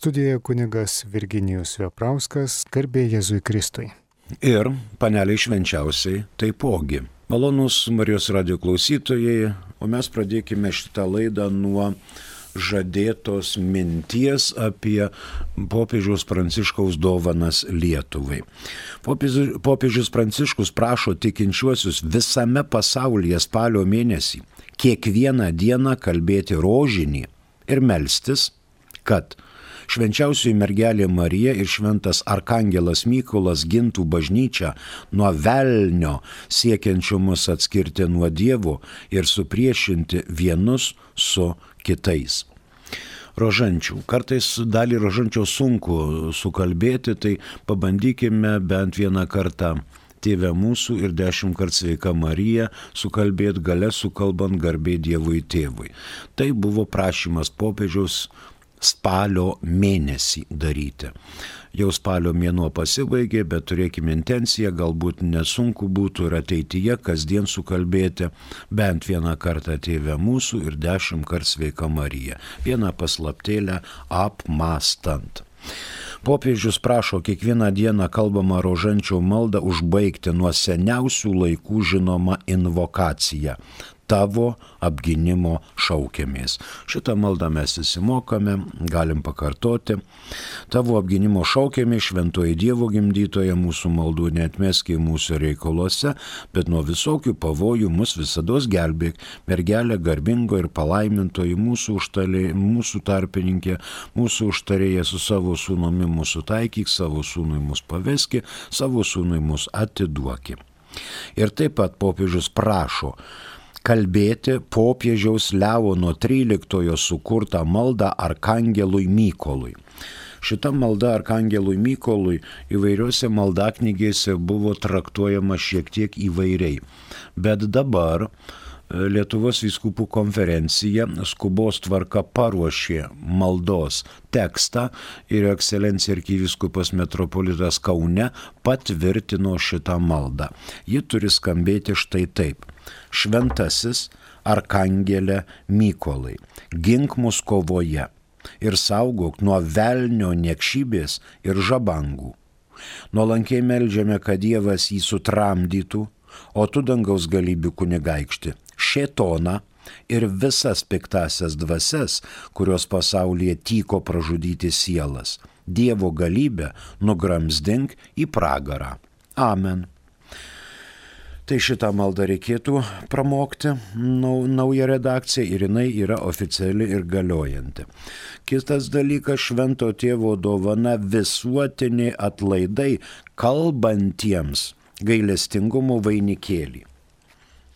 Studijoje kunigas Virginijus Veprauskas, garbė Jėzui Kristui. Ir paneliai švenčiausiai taipogi. Malonūs Marijos radijo klausytojai, o mes pradėkime šitą laidą nuo žadėtos minties apie popiežiaus Pranciškaus dovanas Lietuvai. Popiežius Pranciškus prašo tikinčiuosius visame pasaulyje spalio mėnesį kiekvieną dieną kalbėti rožinį ir melstis, kad švenčiausioji mergelė Marija ir šventas arkangelas Mykolas gintų bažnyčią nuo velnio siekiančio mus atskirti nuo Dievo ir supriešinti vienus su kitais. Rožančių. Kartais dalį rožančio sunku sukalbėti, tai pabandykime bent vieną kartą Tėve mūsų ir 10 kartų Sveika Marija sukalbėti gale sukalbant garbė Dievui Tėvui. Tai buvo prašymas popiežiaus spalio mėnesį daryti. Jau spalio mėnuo pasibaigė, bet turėkime intenciją, galbūt nesunku būtų ir ateityje kasdien sukalbėti bent vieną kartą Tėve mūsų ir 10 kartų Sveika Marija. Vieną paslaptėlę apmąstant. Popiežius prašo kiekvieną dieną kalbamą rožančio maldą užbaigti nuo seniausių laikų žinomą invokaciją. Tavo apgynimo šaukiamės. Šitą maldą mes įsimokame, galim pakartoti. Tavo apgynimo šaukiamės, šventoji Dievo gimdytoja, mūsų maldų neatmeski mūsų reikaluose, bet nuo visokių pavojų mus visados gelbėk, mergelė garbingo ir palaimintoji, mūsų tarpininkė, mūsų užtarėja su savo sūnumi mūsų taikyk, savo sūnui mus paveski, savo sūnui mus atiduoki. Ir taip pat popiežius prašo kalbėti popiežiaus Leono XIII sukurtą maldą arkangelui Mykolui. Šita malda arkangelui Mykolui įvairiuose maldaknygėse buvo traktuojama šiek tiek įvairiai. Bet dabar Lietuvos vyskupų konferencija skubos tvarka paruošė maldos tekstą ir ekscelencija arkivyskupas metropolitas Kaune patvirtino šitą maldą. Ji turi skambėti štai taip. Šventasis arkangelė Mykolai, gink mus kovoje ir saugok nuo velnio niekšybės ir žabangų. Nuolankiai meldžiame, kad Dievas jį sutramdytų, o tu dangaus galybių kunigaikšti, šėtoną ir visas piktasias dvasias, kurios pasaulyje tyko pražudyti sielas. Dievo galybę nugramzdink į pragarą. Amen. Tai šitą maldą reikėtų pramokti, nauja redakcija ir jinai yra oficiali ir galiojanti. Kitas dalykas, švento tėvo dovana visuotiniai atlaidai kalbantiems gailestingumo vainikėlį.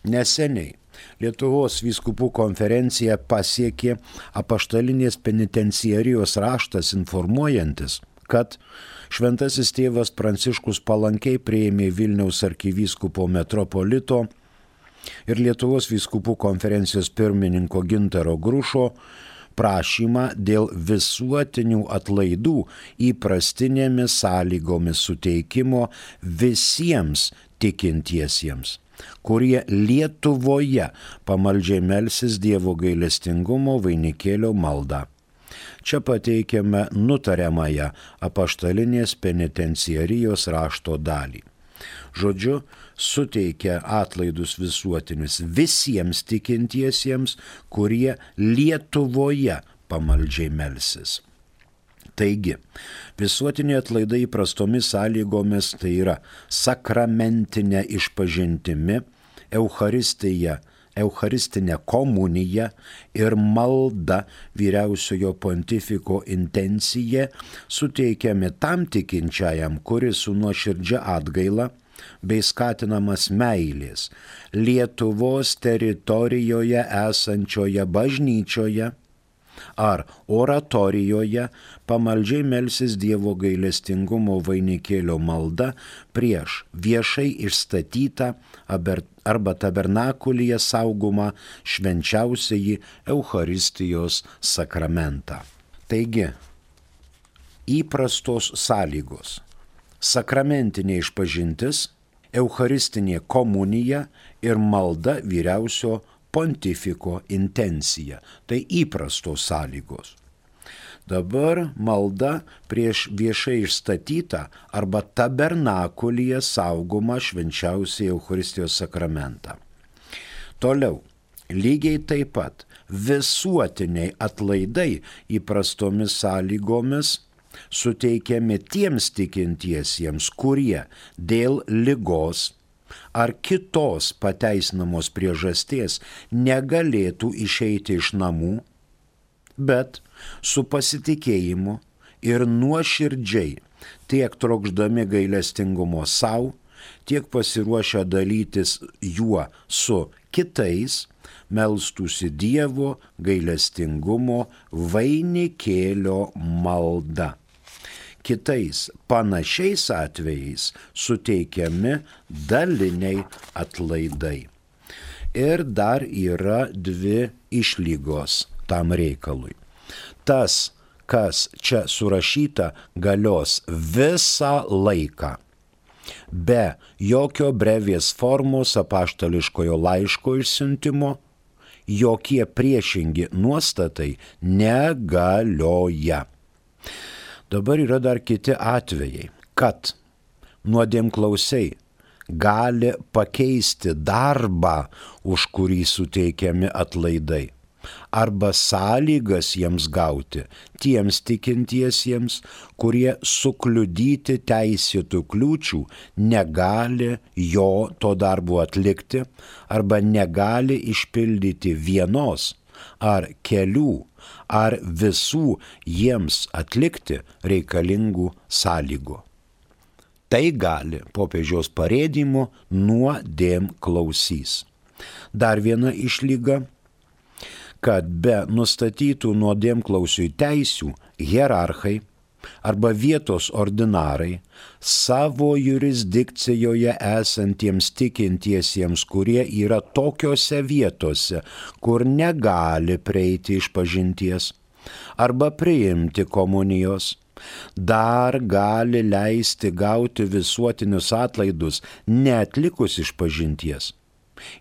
Neseniai Lietuvos vyskupų konferencija pasiekė apaštalinės penitenciarijos raštas informuojantis, kad šventasis tėvas Pranciškus palankiai priėmė Vilniaus arkivyskupo metropolito ir Lietuvos vyskupų konferencijos pirmininko Gintaro Grušo prašymą dėl visuotinių atlaidų įprastinėmis sąlygomis suteikimo visiems tikintiesiems, kurie Lietuvoje pamaldžiai melsis Dievo gailestingumo vainikėlio maldą. Čia pateikiame nutariamąją apaštalinės penitenciarijos rašto dalį. Žodžiu, suteikia atlaidus visuotinius visiems tikintiesiems, kurie Lietuvoje pamaldžiai melsis. Taigi, visuotiniai atlaidai įprastomis sąlygomis tai yra sakramentinė išpažintimi, Eucharistinė komunija ir malda vyriausiojo pontifiko intencija suteikiami tam tikinčiajam, kuris su nuoširdžia atgaila bei skatinamas meilės Lietuvos teritorijoje esančioje bažnyčioje ar oratorijoje pamaldžiai melsis Dievo gailestingumo vainikėlio malda prieš viešai išstatytą arba tabernakulyje saugomą švenčiausiąjį Eucharistijos sakramentą. Taigi, įprastos sąlygos: sakramentinė išpažintis, Eucharistinė komunija ir malda vyriausio pontifiko intencija. Tai įprastos sąlygos. Dabar malda prieš viešai išstatytą arba tabernakulyje saugomą švenčiausiąjį Eucharistijos sakramentą. Toliau, lygiai taip pat visuotiniai atlaidai įprastomis sąlygomis suteikiami tiems tikintiesiems, kurie dėl ligos ar kitos pateisinamos priežasties negalėtų išeiti iš namų, bet su pasitikėjimu ir nuoširdžiai tiek trokšdami gailestingumo savo, tiek pasiruošę dalytis juo su kitais, melstųsi Dievo gailestingumo vainikėlio malda. Kitais panašiais atvejais suteikiami daliniai atlaidai. Ir dar yra dvi išlygos tam reikalui. Tas, kas čia surašyta, galios visą laiką. Be jokio brevės formos apaštališkojo laiško išsiuntimo, jokie priešingi nuostatai negalioja. Dabar yra dar kiti atvejai, kad nuodėmklausiai gali pakeisti darbą, už kurį suteikiami atlaidai, arba sąlygas jiems gauti tiems tikintiesiems, kurie sukliudyti teisėtų kliūčių negali jo to darbo atlikti arba negali išpildyti vienos ar kelių ar visų jiems atlikti reikalingų sąlygų. Tai gali popiežiaus parėdimu nuodėmklausys. Dar viena išlyga, kad be nustatytų nuodėmklausiui teisių hierarchai arba vietos ordinarai savo jurisdikcijoje esantiems tikintiesiems, kurie yra tokiose vietose, kur negali prieiti išpažinties arba priimti komunijos, dar gali leisti gauti visuotinius atlaidus neatlikus išpažinties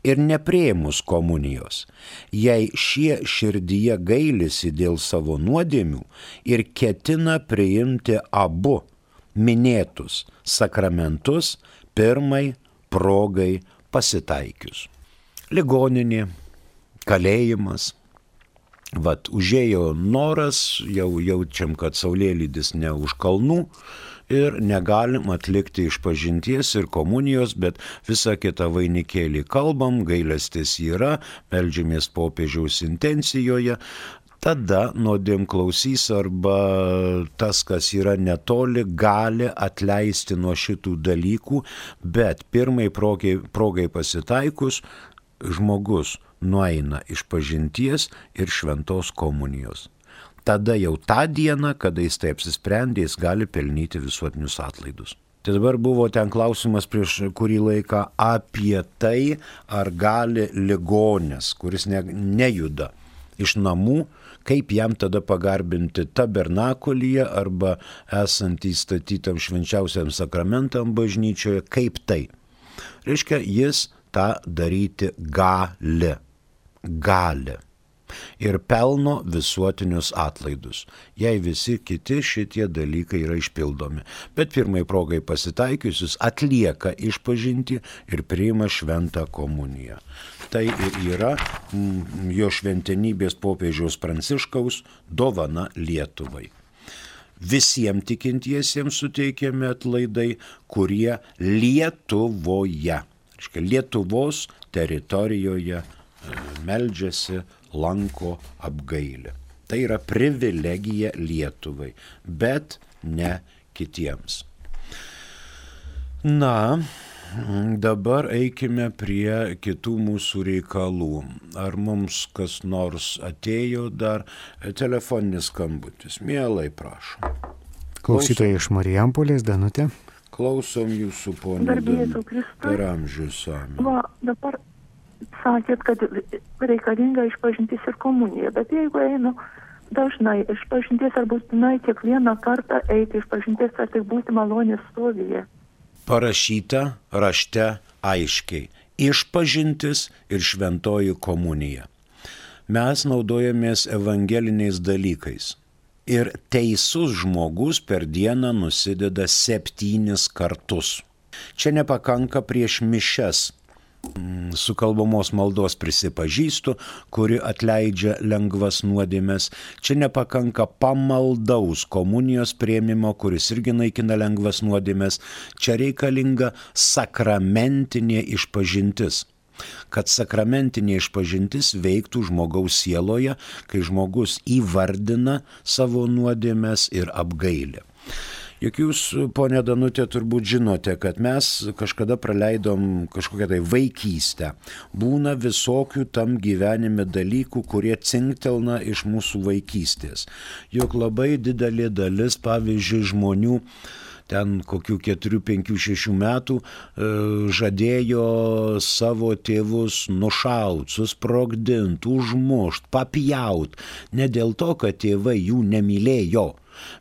ir nepriėmus komunijos, jei šie širdyje gailisi dėl savo nuodėmių ir ketina priimti abu minėtus sakramentus pirmai progai pasitaikius. Ligoninė, kalėjimas. Užėjo noras, jau jaučiam, kad saulėlydis ne už kalnų ir negalim atlikti išpažinties ir komunijos, bet visą kitą vainikėlį kalbam, gailestis yra, meldžiamės popiežiaus intencijoje. Tada nuodėmklausys arba tas, kas yra netoli, gali atleisti nuo šitų dalykų, bet pirmai progai pasitaikus žmogus nueina išpažinties ir šventos komunijos. Tada jau tą dieną, kada jis taip apsisprendė, jis gali pelnyti visuotinius atlaidus. Tai dabar buvo ten klausimas prieš kurį laiką apie tai, ar gali ligonis, kuris nejuda iš namų, kaip jam tada pagarbinti tabernakulyje arba esant įstatytam švenčiausiam sakramentam bažnyčioje, kaip tai. Reiškia, jis tą daryti gali. Ir pelno visuotinius atlaidus, jei visi kiti šitie dalykai yra išpildomi. Bet pirmai progai pasitaikiusius atlieka išpažinti ir priima šventą komuniją. Tai ir yra jo šventenybės popiežiaus Pranciškaus dovana Lietuvai. Visiems tikintiesiems suteikiami atlaidai, kurie Lietuvoje, Lietuvos teritorijoje meldžiasi, lanko apgailę. Tai yra privilegija Lietuvai, bet ne kitiems. Na, dabar eikime prie kitų mūsų reikalų. Ar mums kas nors atėjo dar telefoninis skambutis? Mielai, prašom. Klausytoja iš Marijampolės, Danutė. Klausom jūsų, ponė Danutė. Per amžius amen. Dabar sakėt, kad reikalinga išpažintis ir komunija, bet jeigu einu dažnai išpažinties ar būtinai kiekvieną kartą eiti išpažinties, ar tik būti malonės stovyje? Parašyta rašte aiškiai. Išpažintis ir šventoji komunija. Mes naudojamės evangeliniais dalykais. Ir teisus žmogus per dieną nusideda 7 kartus. Čia nepakanka prieš mišias sukalbamos maldos prisipažįstu, kuri atleidžia lengvas nuodėmes. Čia nepakanka pamaldaus komunijos priėmimo, kuris irgi naikina lengvas nuodėmes. Čia reikalinga sakramentinė išpažintis. Kad sakramentinė išpažintis veiktų žmogaus sieloje, kai žmogus įvardina savo nuodėmes ir apgailę. Juk jūs, ponė Danutė, turbūt žinote, kad mes kažkada praleidom kažkokią tai vaikystę. Būna visokių tam gyvenime dalykų, kurie cinktelna iš mūsų vaikystės. Juk labai didelė dalis, pavyzdžiui, žmonių ten kokių 4, 5, 6 metų žadėjo savo tėvus nušaut, susprogdint, užmušt, papjaut. Ne dėl to, kad tėvai jų nemylėjo,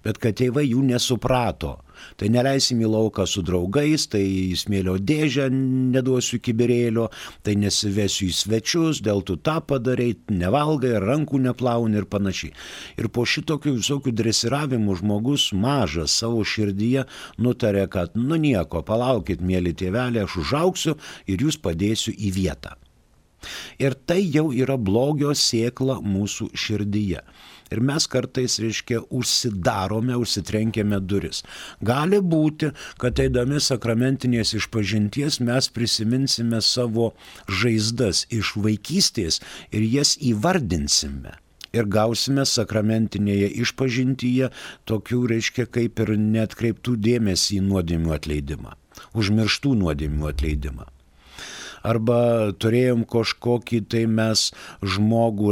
bet kad tėvai jų nesuprato. Tai neleisim į lauką su draugais, tai į smėlio dėžę neduosiu kibirėlio, tai nesivesiu į svečius, dėl tu tą padarai, nevalgai, rankų neplauni ir panašiai. Ir po šitokių visokių dresiravimų žmogus mažas savo širdyje nutarė, kad nieko, palaukit, mėly tėvelė, aš užaugsiu ir jūs padėsiu į vietą. Ir tai jau yra blogio sėkla mūsų širdyje. Ir mes kartais, užsidarome, užsitrenkėme duris. Gali būti, kad eidami sakramentinės išpažinties mes prisiminsime savo žaizdas iš vaikystės ir jas įvardinsime. Ir gausime sakramentinėje išpažintyje tokių, kaip ir neatkreiptų dėmesį į nuodėmių atleidimą, užmirštų nuodėmių atleidimą. Arba turėjom kažkokį tai mes žmogų,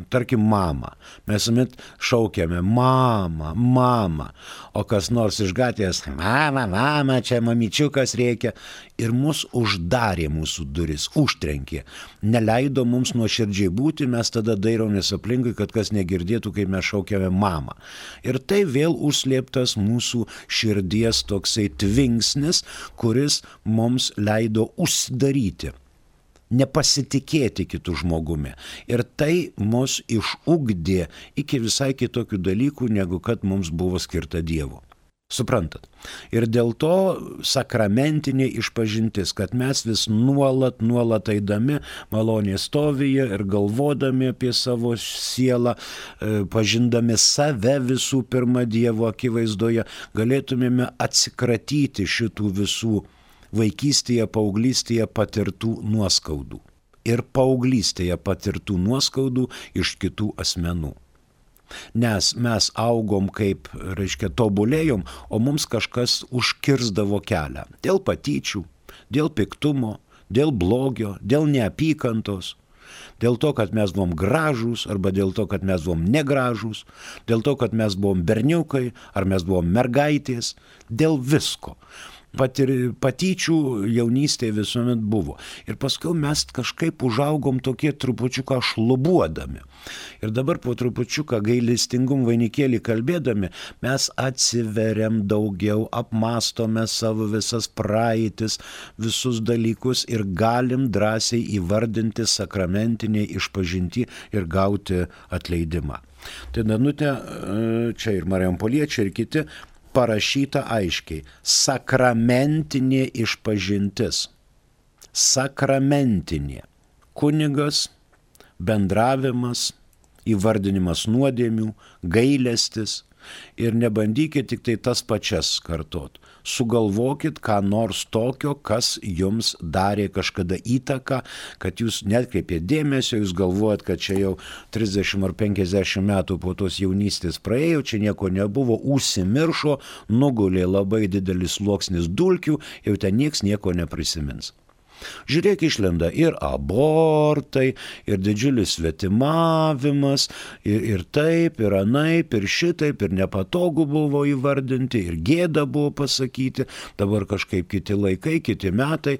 tarkim, mamą. Mes visuomet šaukiame mama, mama, o kas nors iš gatvės, mama, čia mamyčiukas reikia. Ir mus uždarė mūsų duris, užtrenkė. Neleido mums nuoširdžiai būti, mes tada dairomės aplinkui, kad kas negirdėtų, kai mes šaukiame mamą. Ir tai vėl užslėptas mūsų širdies toksai tvinksnis, kuris mums leido užsidaryti, nepasitikėti kitų žmogumi. Ir tai mus išugdė iki visai kitokių dalykų, negu kad mums buvo skirta Dievo. Suprantat? Ir dėl to sakramentinė išpažintis, kad mes vis nuolat eidami malonės stovyje ir galvodami apie savo sielą, pažindami save visų pirma Dievo akivaizdoje, galėtumėme atsikratyti šitų visų vaikystėje, paauglystėje patirtų nuoskaudų. Ir paauglystėje patirtų nuoskaudų iš kitų asmenų. Nes mes augom kaip, tobulėjom, o mums kažkas užkirsdavo kelią. Dėl patyčių, dėl piktumo, dėl blogio, dėl neapykantos, dėl to, kad mes buvom gražūs, arba dėl to, kad mes buvom negražūs, dėl to, kad mes buvom berniukai, ar mes buvom mergaitės, dėl visko. Patyčių jaunystėje visuomet buvo. Ir paskui mes kažkaip užaugom tokie trupučiuką šlubuodami. Ir dabar po trupučiuką gailestingum vainikėlį kalbėdami, mes atsiveriam daugiau, apmastome savo visas praeitis, visus dalykus ir galim drąsiai įvardinti sakramentinį išpažintį ir gauti atleidimą. Tai Danutė, čia ir Marijampoliečiai, ir kiti, parašyta aiškiai, sakramentinė išpažintis. Sakramentinė. Kunigas, bendravimas, įvardinimas nuodėmių, gailestis. Ir nebandykit tik tai tas pačias kartot. Sugalvokit ką nors tokio, kas jums darė kažkada įtaką, kad jūs netkreipėt dėmesio, jūs galvojat, kad čia jau 30 ar 50 metų po tos jaunystės praėjo, čia nieko nebuvo, užsimiršo, nugulė labai didelis sluoksnis dulkių, jau ten nieks nieko neprisimins. Žiūrėk, išlenda ir abortai, ir didžiulis svetimavimas, ir taip, ir anaip, ir šitaip, ir nepatogu buvo įvardinti, ir gėda buvo pasakyti, dabar kažkaip kiti laikai, kiti metai,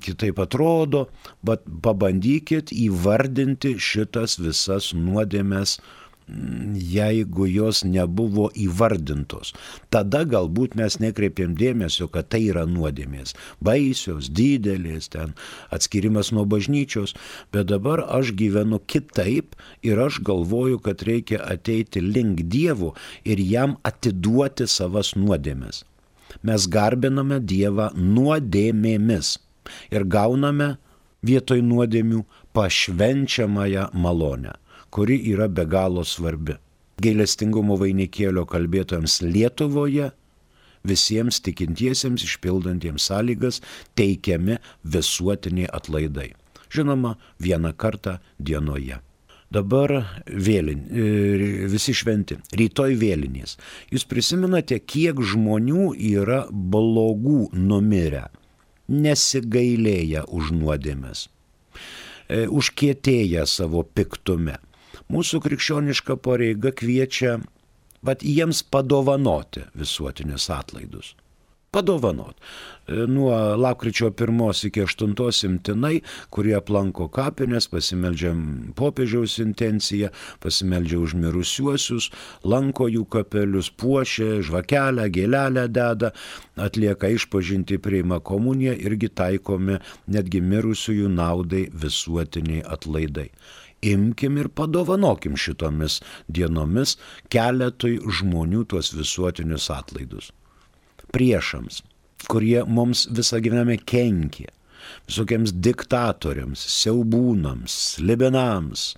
kitaip atrodo, bet pabandykit įvardinti šitas visas nuodėmes jeigu jos nebuvo įvardintos. Tada galbūt mes nekreipėm dėmesio, kad tai yra nuodėmės. Baisios, didelės, ten atskirimas nuo bažnyčios, bet dabar aš gyvenu kitaip ir aš galvoju, kad reikia ateiti link Dievo ir jam atiduoti savas nuodėmės. Mes garbiname Dievą nuodėmėmis ir gauname vietoj nuodėmių pašvenčiamąją malonę, kuri yra be galo svarbi. Gailestingumo vainikėlio kalbėtojams Lietuvoje visiems tikintiesiems išpildantiems sąlygas teikiami visuotiniai atlaidai. Žinoma, vieną kartą dienoje. Dabar visi šventi, rytoj vėlinės. Jūs prisimenate, kiek žmonių yra blogų numirę, nesigailėję už nuodėmes, užkietėję savo piktume. Mūsų krikščioniška pareiga kviečia jiems padovanoti visuotinius atlaidus. Padovanot. Nuo lapkričio 1 iki 8 imtinai, kurie aplanko kapines, pasimeldžiam popiežiaus intenciją, pasimeldžia už mirusiuosius, lanko jų kapelius, puošia, žvakelę, gėlelę deda, atlieka išpažintį, priima komuniją, irgi taikomi netgi mirusiųjų naudai visuotiniai atlaidai. Imkim ir padovanokim šitomis dienomis keletui žmonių tuos visuotinius atlaidus. Priešams, kurie mums visą gyvenime kenkė, visokiems diktatoriams, siaubūnams, slibinams,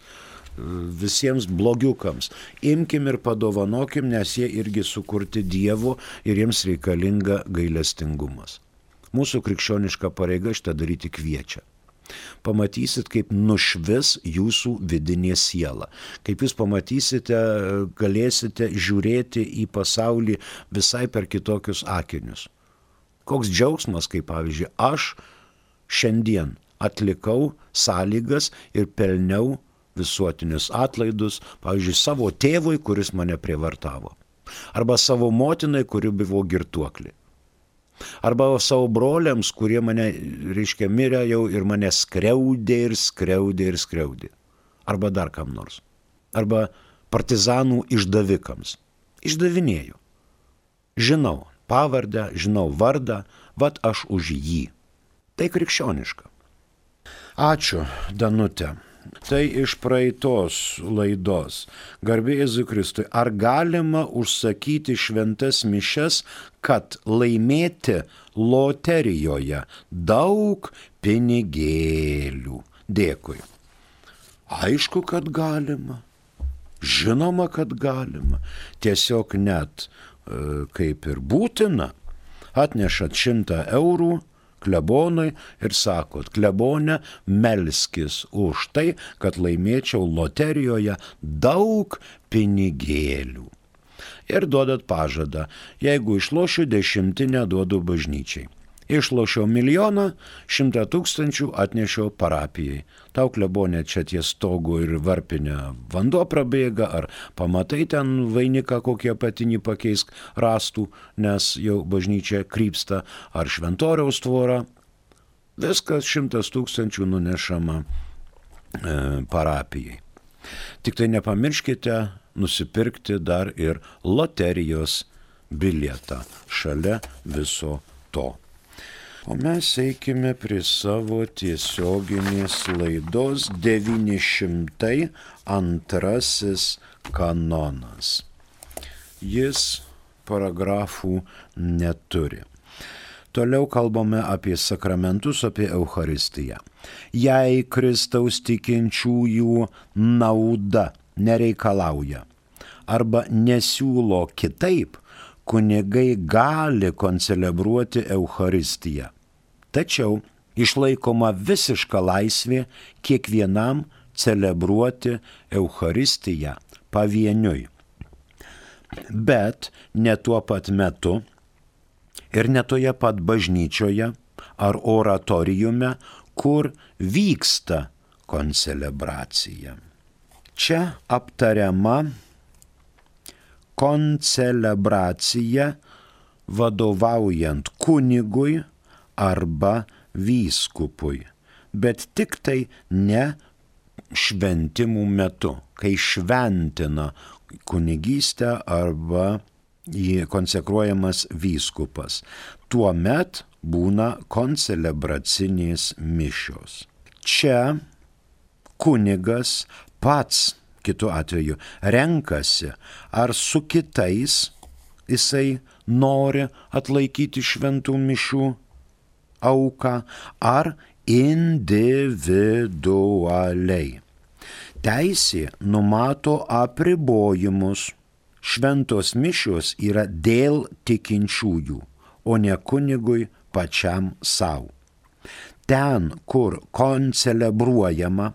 visiems blogiukams. Imkim ir padovanokim, nes jie irgi sukurti Dievo ir jiems reikalinga gailestingumas. Mūsų krikščioniška pareiga šitą daryti kviečia. Pamatysit, kaip nušvis jūsų vidinė siela. Kaip jūs pamatysite, galėsite žiūrėti į pasaulį visai per kitokius akinius. Koks džiaugsmas, kaip pavyzdžiui, aš šiandien atlikau sąlygas ir pelniau visuotinius atlaidus, pavyzdžiui, savo tėvui, kuris mane prievartavo. Arba savo motinai, kuri buvo girtuoklė. Arba savo broliams, kurie mane, mirė jau ir mane skriaudė. Arba dar kam nors. Arba partizanų išdavikams. Išdavinėjau. Žinau pavardę, žinau vardą, aš už jį. Tai krikščioniška. Ačiū, Danute. Tai iš praeitos laidos. Garbė Jėzui Kristui. Ar galima užsakyti šventas mišias, kad laimėti loterijoje daug pinigėlių? Dėkui. Aišku, kad galima. Žinoma, kad galima. Tiesiog net kaip ir būtina. Atnešat 100 eurų klebonui ir sakot, klebone, melskis už tai, kad laimėčiau loterijoje daug pinigėlių. Ir duodat pažadą, jeigu išlošiu 10, duodu bažnyčiai. Išlošiau 1 100 000 atnešiau parapijai. Tau klebonė čia ties stogu ir varpinė vanduo prabėga, ar pamatai ten vainiką kokie apatinį pakeisk rastų, nes jau bažnyčia krypsta, ar šventoriaus tvora. Viskas 100 000 nunešama parapijai. Tik tai nepamirškite nusipirkti dar ir loterijos bilietą šalia viso to. O mes eikime prie savo tiesioginės laidos 902 kanonas. Jis paragrafų neturi. Toliau kalbame apie sakramentus, apie Eucharistiją. Jei Kristaus tikinčiųjų nauda nereikalauja arba nesiūlo kitaip, kunigai gali koncelebruoti Eucharistiją. Tačiau išlaikoma visiška laisvė kiekvienam celebruoti Eucharistiją pavieniui. Bet ne tuo pat metu ir ne toje pat bažnyčioje ar oratoriume, kur vyksta koncelebracija. Čia aptariama koncelebracija vadovaujant kunigui arba vyskupui, bet tik tai ne šventimų metu, kai šventina kunigystę arba konsekruojamas vyskupas. Tuomet būna koncelebracinės mišios. Čia kunigas pats, kitu atveju, renkasi, ar su kitais jisai nori atlaikyti šventų mišių auką, ar individualiai. Teisė numato apribojimus. Šventos mišios yra dėl tikinčiųjų, o ne kunigui pačiam savo. Ten, kur koncelebruojama,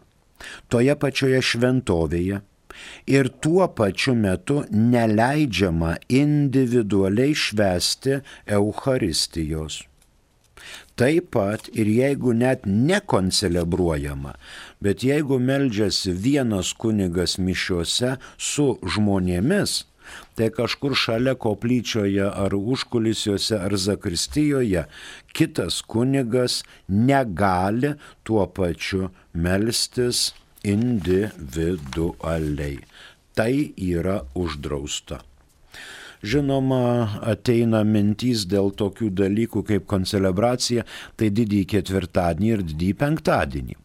toje pačioje šventovėje ir tuo pačiu metu neleidžiama individualiai švęsti Eucharistijos. Taip pat ir jeigu net nekoncelebruojama, bet jeigu meldžiasi vienas kunigas mišiuose su žmonėmis, tai kažkur šalia koplyčioje ar užkulisiuose ar zakristijoje kitas kunigas negali tuo pačiu melstis individualiai. Tai yra uždrausta. Žinoma, ateina mintys dėl tokių dalykų kaip koncelebracija, tai didįjį ketvirtadienį ir didįjį penktadienį.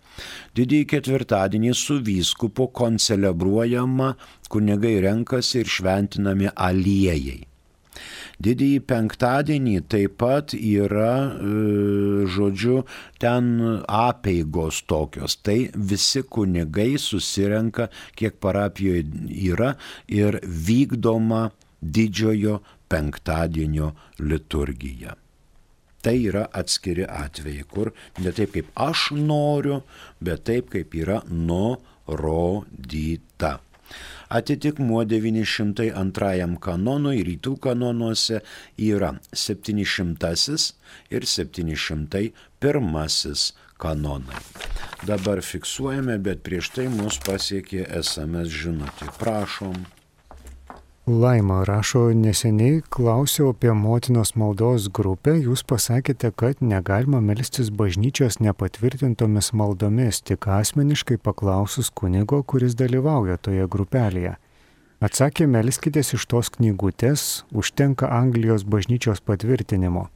Didįjį ketvirtadienį su vyskupu koncelebruojama, kunigai renkasi ir šventinami aliejai. Didįjį penktadienį taip pat yra, ten apeigos tokios. Tai visi kunigai susirenka, kiek parapijoje yra, ir vykdoma didžiojo penktadienio liturgija. Tai yra atskiri atvejai, kur ne taip kaip aš noriu, bet taip kaip yra nurodyta. Atitikmuo 902 kanonui rytų kanonuose yra 700 ir 701 kanonai. Dabar fiksuojame, bet prieš tai mus pasiekė SMS žinutė. Prašom. Laima rašo, neseniai klausiau apie motinos maldos grupę, jūs pasakėte, kad negalima melstis bažnyčios nepatvirtintomis maldomis, tik asmeniškai paklausus kunigo, kuris dalyvauja toje grupelėje. Atsakė, melskitės iš tos knygutės, užtenka Anglijos bažnyčios patvirtinimo.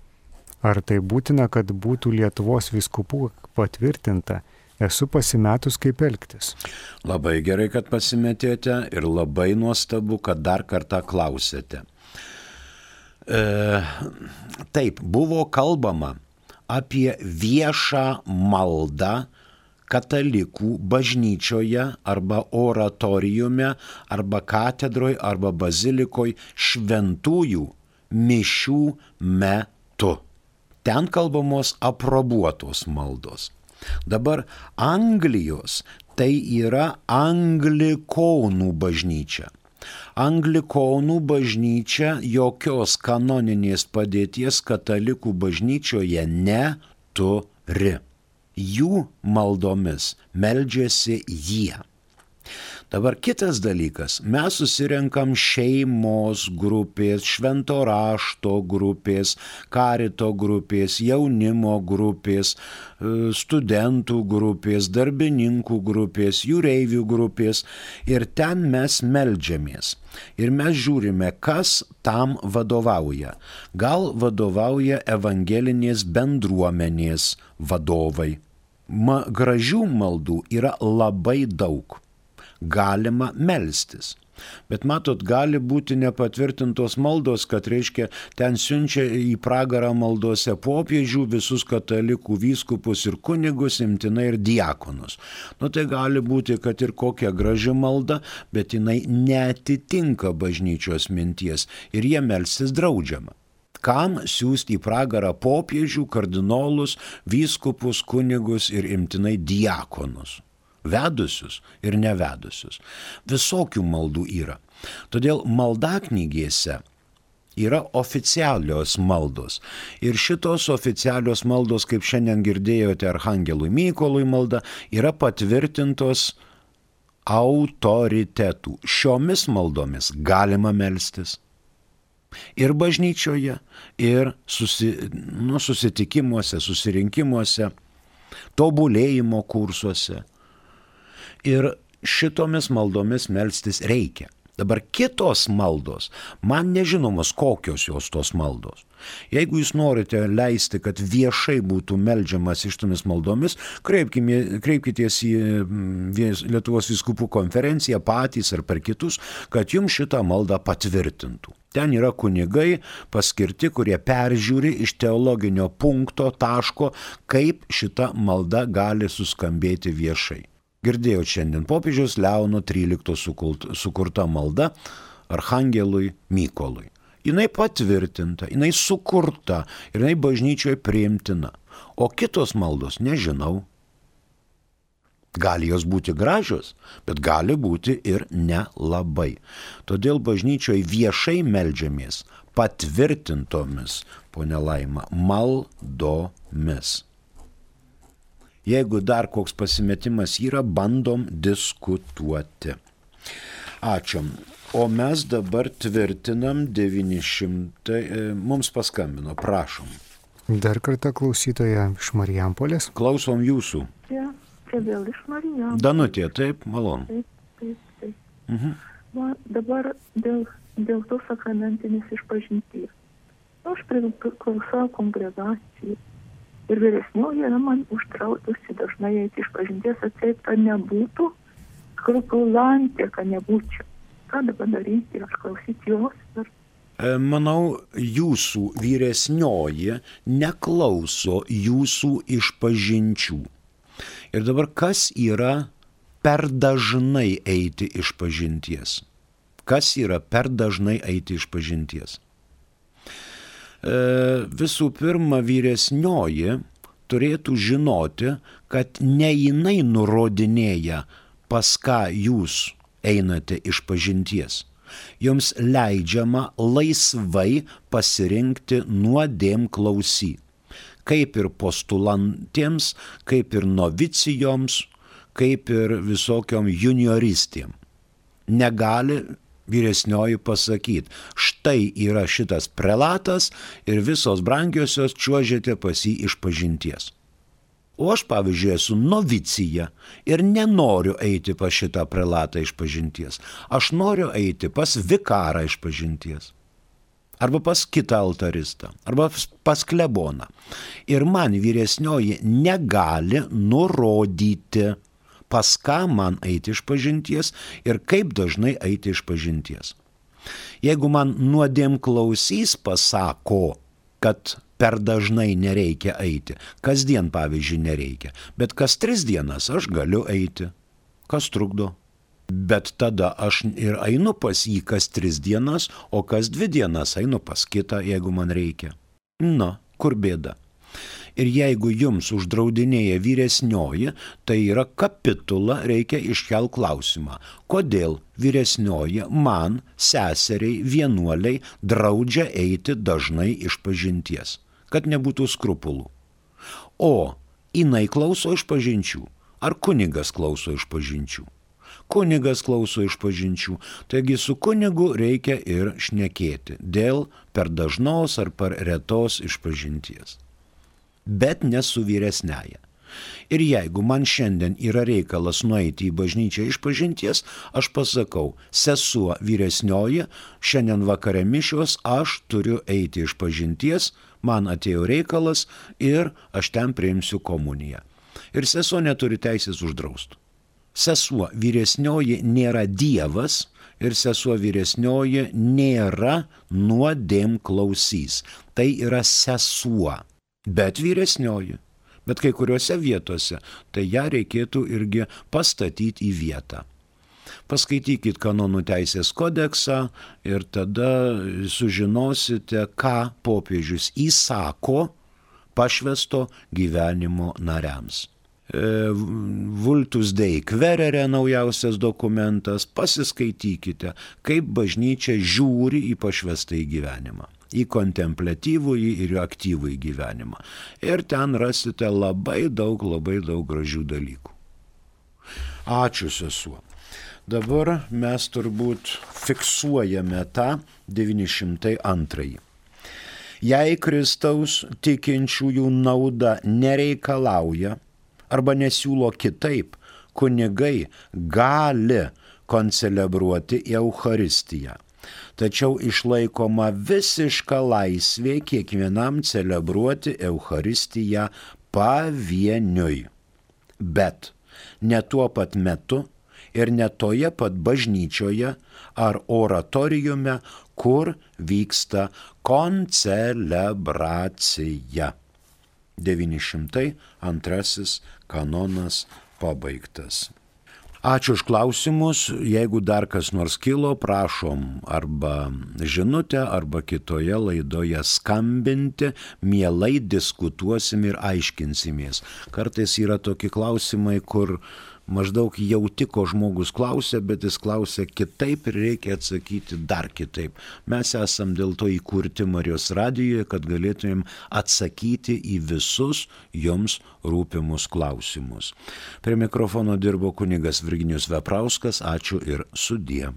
Ar tai būtina, kad būtų Lietuvos vyskupų patvirtinta? Esu pasimetus, kaip elgtis. Labai gerai, kad pasimetėte ir labai nuostabu, kad dar kartą klausėte. Taip, buvo kalbama apie viešą maldą katalikų bažnyčioje arba oratoriume, arba katedroje, arba bazilikoje šventųjų mišių metu. Ten kalbamos aprobuotos maldos. Dabar Anglijos tai yra anglikonų bažnyčia. Anglikonų bažnyčia jokios kanoninės padėties katalikų bažnyčioje neturi. Jų maldomis meldžiasi jie. Dabar kitas dalykas, mes susirenkam šeimos grupės, švento rašto grupės, karito grupės, jaunimo grupės, studentų grupės, darbininkų grupės, jūreivių grupės ir ten mes meldžiamės. Ir mes žiūrime, kas tam vadovauja. Gal vadovauja evangelinės bendruomenės vadovai. Gražių maldų yra labai daug. Galima melstis. Bet matot, gali būti nepatvirtintos maldos, kad reiškia, ten siunčia į pragarą maldose popiežių, visus katalikų vyskupus ir kunigus, imtinai ir diakonus. Tai gali būti, kad ir kokia graži malda, bet jinai neatitinka bažnyčios minties ir jie melstis draudžiama. Kam siųsti į pragarą popiežių, kardinolus, vyskupus, kunigus ir imtinai diakonus? Vedusius ir nevedusius. Visokių maldų yra. Todėl maldaknygėse yra oficialios maldos. Ir šitos oficialios maldos, kaip šiandien girdėjote, Arhangelui Mykolui malda, yra patvirtintos autoritetų. Šiomis maldomis galima melstis. Ir bažnyčioje, ir susitikimuose, susirinkimuose, tobulėjimo kursuose. Ir šitomis maldomis melstis reikia. Dabar kitos maldos, man nežinomos kokios jos tos maldos. Jeigu jūs norite leisti, kad viešai būtų meldžiamas šitomis maldomis, kreipkitės į Lietuvos vyskupų konferenciją patys ar per kitus, kad jums šitą maldą patvirtintų. Ten yra kunigai paskirti, kurie peržiūri iš teologinio punkto, taško, kaip šita malda gali suskambėti viešai. Girdėjau šiandien popiežiaus Leono XIII sukurta malda Archangelui Mykolui. Jinai patvirtinta, jinai sukurta ir jinai bažnyčioje priimtina. O kitos maldos nežinau. Gali jos būti gražios, bet gali būti ir nelabai. Todėl bažnyčioje viešai meldžiamės patvirtintomis, ponia Laima, maldomis. Jeigu dar koks pasimetimas yra, bandom diskutuoti. Ačiū. O mes dabar tvirtinam 900, mums paskambino, prašom. Dar kartą klausytoja iš Marijampolės. Klausom jūsų. Čia vėl iš Marijampolės. Danutė, taip, malonu. Taip. Va, dabar dėl to sakramentinės išpažinties. Aš priklausau kongregacijai. Ir vyresnioji yra man užtraukusi dažnai eiti išpažinties, atseit, kad nebūtų skrupulantė, kad nebūčiau. Ką dabar daryti, aš klausyti jos? Manau, jūsų vyresnioji neklauso jūsų išpažinčių. Ir dabar kas yra per dažnai eiti išpažinties? Kas yra per dažnai eiti išpažinties? Visų pirma, vyresnioji turėtų žinoti, kad ne jinai nurodinėja, pas ką jūs einate išpažinties. Jums leidžiama laisvai pasirinkti nuodėmklausy. Kaip ir postulantėms, kaip ir novicijoms, kaip ir visokiom junioristėm. Negali vyresnioji pasakyti, štai yra šitas prelatas ir visos brangiosios čiuožėte pas jį išpažinties. O aš, pavyzdžiui, esu novicija ir nenoriu eiti pas šitą prelatą išpažinties. Aš noriu eiti pas vikarą išpažinties. Arba pas kitą altaristą, arba pas kleboną. Ir man vyresnioji negali nurodyti, pas ką man eiti išpažinties ir kaip dažnai eiti išpažinties. Jeigu man nuodėmklausys pasako, kad per dažnai nereikia eiti, kasdien pavyzdžiui nereikia, bet kas 3 dienas aš galiu eiti, kas trukdo. Bet tada aš ir einu pas jį kas 3 dienas, o kas 2 dienas einu pas kitą, jeigu man reikia. Na, kur bėda? Ir jeigu jums uždraudinėja vyresnioji, tai yra kapitula, reikia iškel klausimą. Kodėl vyresnioji man, seseriai, vienuoliai, draudžia eiti dažnai išpažinties, kad nebūtų skrupulų? O jinai klauso išpažinčių, ar kunigas klauso išpažinčių? Kunigas klauso išpažinčių, taigi su kunigu reikia ir šnekėti dėl per dažnos ar per retos išpažinties. Bet ne su vyresnėja. Ir jeigu man šiandien yra reikalas nueiti į bažnyčią išpažinties, aš pasakau, sesuo vyresnioji, šiandien vakare mišios, aš turiu eiti išpažinties, man atėjo reikalas ir aš ten priimsiu komuniją. Ir sesuo neturi teisės uždrausti. Sesuo vyresnioji nėra Dievas ir sesuo vyresnioji nėra nuodėmklausys. Tai yra sesuo. Bet vyresnioji, bet kai kuriuose vietose, tai ją reikėtų irgi pastatyti į vietą. Paskaitykit kanonų teisės kodeksą ir tada sužinosite, ką popiežius įsako pašvęsto gyvenimo nariams. Vultus Dei Querere naujausias dokumentas, pasiskaitykite, kaip bažnyčia žiūri į pašvęstąjį gyvenimą, į kontempliatyvųjį ir aktyvųjį gyvenimą. Ir ten rasite labai daug gražių dalykų. Ačiū, sesuo. Dabar mes turbūt fiksuojame tą 902. Jei Kristaus tikinčiųjų nauda nereikalauja arba nesiūlo kitaip, kunigai gali koncelebruoti Eucharistiją. Tačiau išlaikoma visiška laisvė kiekvienam celebruoti Eucharistiją pavieniui. Bet ne tuo pat metu ir ne toje pat bažnyčioje ar oratoriume, kur vyksta koncelebracija. 902 kanonas pabaigtas. Ačiū už klausimus. Jeigu dar kas nors kilo, prašom arba žinutę, arba kitoje laidoje skambinti, mielai diskutuosim ir aiškinsimės. Kartais yra tokie klausimai, kur maždaug jauti, ko žmogus klausia, bet jis klausia kitaip ir reikia atsakyti dar kitaip. Mes esam dėl to įkurti Marijos radijoje, kad galėtumėm atsakyti į visus jums rūpimus klausimus. Prie mikrofono dirbo kunigas Virginijus Veprauskas. Ačiū ir sudie.